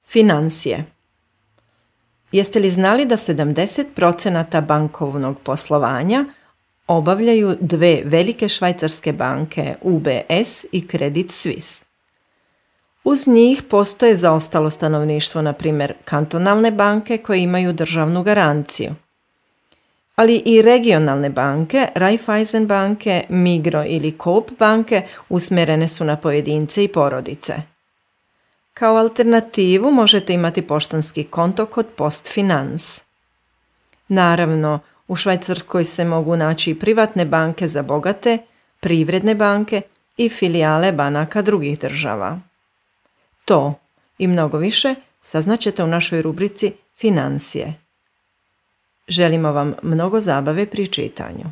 Financije. Jeste li znali da 70% bankovnog poslovanja obavljaju dve velike švajcarske banke UBS i Credit Suisse? Uz njih postoje zaostalo stanovništvo, na primjer kantonalne banke koje imaju državnu garanciju. Ali i regionalne banke, Raiffeisen banke, Migro ili Coop banke usmjerene su na pojedince i porodice. Kao alternativu možete imati poštanski konto kod PostFinance. Naravno, u Švajcarskoj se mogu naći i privatne banke za bogate, privredne banke i filijale banaka drugih država. To i mnogo više saznaćete u našoj rubrici Financije. Želimo vam mnogo zabave pri čitanju.